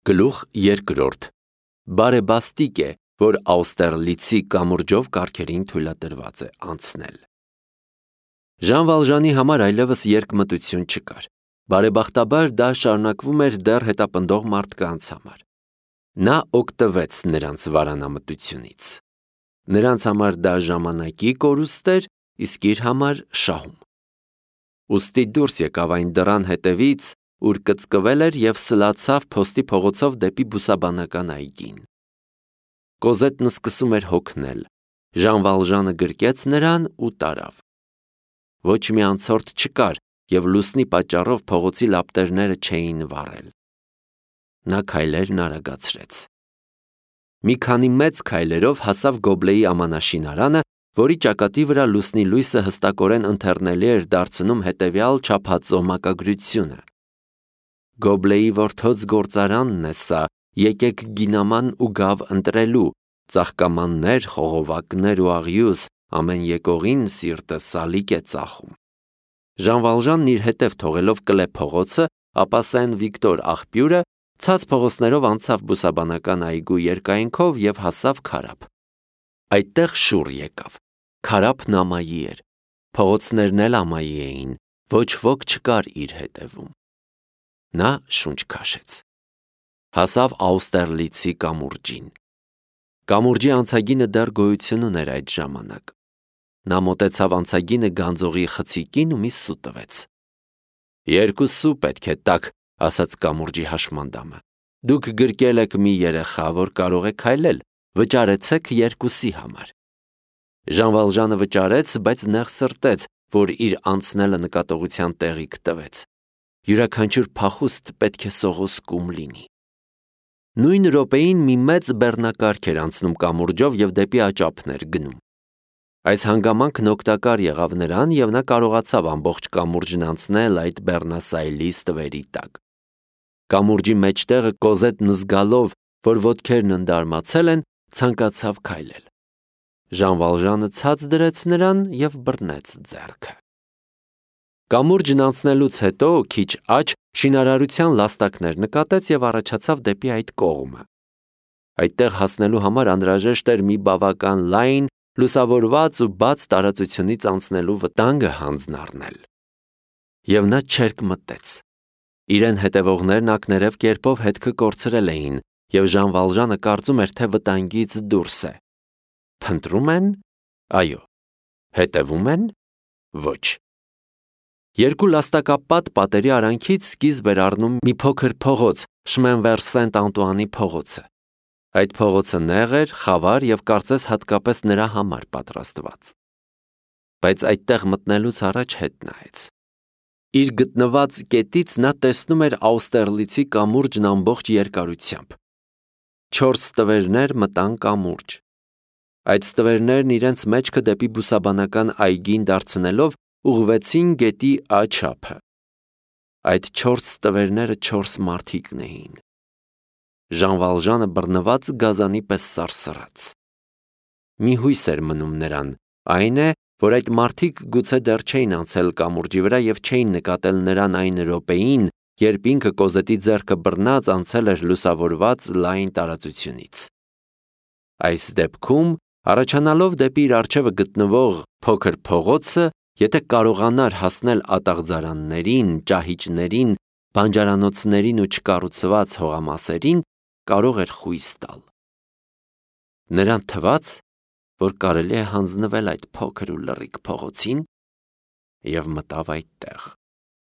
Գլուխ երկրորդ. Բարեբաստիկ է, որ Աուստերլիցի կամուրջով կարգերին թույլատրված է անցնել։ Ժան Վալժանի համար այլևս երկմտություն չկար։ Բարեբախտաբար դա շարունակվում էր դեռ հետապնդող մարդկանց համար։ Նա օգտվեց նրանց վարանամտությունից։ Նրանց համար դա ժամանակի կորուստ էր, իսկ իր համար շահում։ Ուստի դուրս եկավ այն դռան հետևից, ուր կծկվել էր և սլացավ փոստի փողոցով դեպի բուսաբանական այգին։ Կոզետն սկսում էր հոգնել։ Ժան Վալժանը գրկեց նրան ու տարավ։ Ոչ մի անցորդ չկար, և լուսնի պատճառով փողոցի լապտերները չէին վառել։ Նա քայլերն արագացրեց։ Մի քանի մեծ քայլերով հասավ Գոբլեի ամանաշինարանը, որի ճակատի վրա լուսնի լույսը հստակորեն ընթեռնելի էր դարձնում հետևյալ չափածո մակագրությունը. Գոբլեի որդոց գործարանն է սա, եկեք գինաման ու գավ ընտրելու, ծաղկամաններ, խողովակներ ու աղյուս, ամեն եկողին սիրտը սալիկ է ծախում։ Ժան Վալժանն իր հետև թողելով Կլե փողոցը, ապա Սեն Վիկտոր աղբյուրը, ցած փողոցներով անցավ բուսաբանական այգու երկայնքով և հասավ Քարափ։ Այդտեղ շուռ եկավ։ Քարափն ամայի էր։ Փողոցներն էլ ամայի էին, ոչ ոք չկար իր հետևում։ Նա շունչ քաշեց։ Հասավ Աուստերլիցի կամուրջին։ Կամուրջի անցագինը դեռ գոյություն ուներ այդ ժամանակ։ Նա մոտեցավ անցագինը գանձողի խցիկին ու մի սու տվեց։ «2 սու պետք է տաք», ասաց կամուրջի հաշմանդամը։ «Դուք գրկել եք մի երեխա, որ կարող է քայլել, վճարեցեք 2-ի համար»։ Ժան Վալժանը վճարեց, բայց նեղ սրտեց, որ իր անցնելը նկատողության տեղիք տվեց։ Յուրաքանչյուր փախուստ պետք է սողոսկում լինի։ Նույն րոպեին մի մեծ բեռնակարգ էր անցնում կամուրջով և դեպի աճափն էր գնում։ Այս հանգամանքն օգտակար եղավ նրան, և նա կարողացավ ամբողջ կամուրջն անցնել այդ բեռնասայլի ստվերի տակ։ Կամուրջի մեջտեղը Կոզետն զգալով, որ ոտքերն ընդարմացել են, ցանկացավ քայլել։ Ժան Վալժանը ցած դրեց նրան և բռնեց ձեռքը։ Կամուրջն անցնելուց հետո, քիչ աջ, շինարարության լաստակներ նկատեց և առաջացավ դեպի այդ կողմը։ Այդտեղ հասնելու համար անհրաժեշտ էր մի բավական լայն, լուսավորված ու բաց տարածությունից անցնելու վտանգը հանձն առնել։ Եվ նա չերկմտեց։ Իրեն հետևողներն ակներև կերպով հետքը կորցրել էին, և Ժան Վալժանը կարծում էր, թե վտանգից դուրս է։ Փնտրում են։ Այո։ Հետևում են։ Ոչ։ Երկու լաստակապատ պատերի արանքից սկիզբ էր առնում մի փոքր փողոց, Շմենվեր Սենտ Անտուանի փողոցը։ Այդ փողոցը նեղ էր, խավար և կարծես հատկապես նրա համար պատրաստված։ Բայց այդտեղ մտնելուց առաջ հետ նայեց։ Իր գտնված կետից նա տեսնում էր Աուստերլիցի կամուրջն ամբողջ երկարությամբ։ 4 ստվերներ մտան կամուրջ։ Այդ ստվերներն իրենց մեջքը դեպի բուսաբանական այգին դարձնելով ուղղվեցին գետի աջափը։ Այդ 4 ստվերները 4 մարդիկն էին։ Ժան Վալժանը բռնված գազանի պես սարսռաց։ Մի հույս էր մնում նրան, այն է, որ այդ մարդիկ գուցե դեռ չէին անցել կամուրջի վրա և չէին նկատել նրան այն րոպեին, երբ ինքը Կոզետի ձեռքը բռնած անցել էր լուսավորված լայն տարածությունից։ Այս դեպքում, առաջանալով դեպի իր առջևը գտնվող փոքր փողոցը, եթե կարողանար հասնել ատաղձարաններին, ճահիճներին, բանջարանոցներին ու չկառուցված հողամասերին, կարող էր խույս տալ։ Նրան թվաց, որ կարելի է հանձնվել այդ փոքր ու լռիկ փողոցին, և մտավ այդտեղ։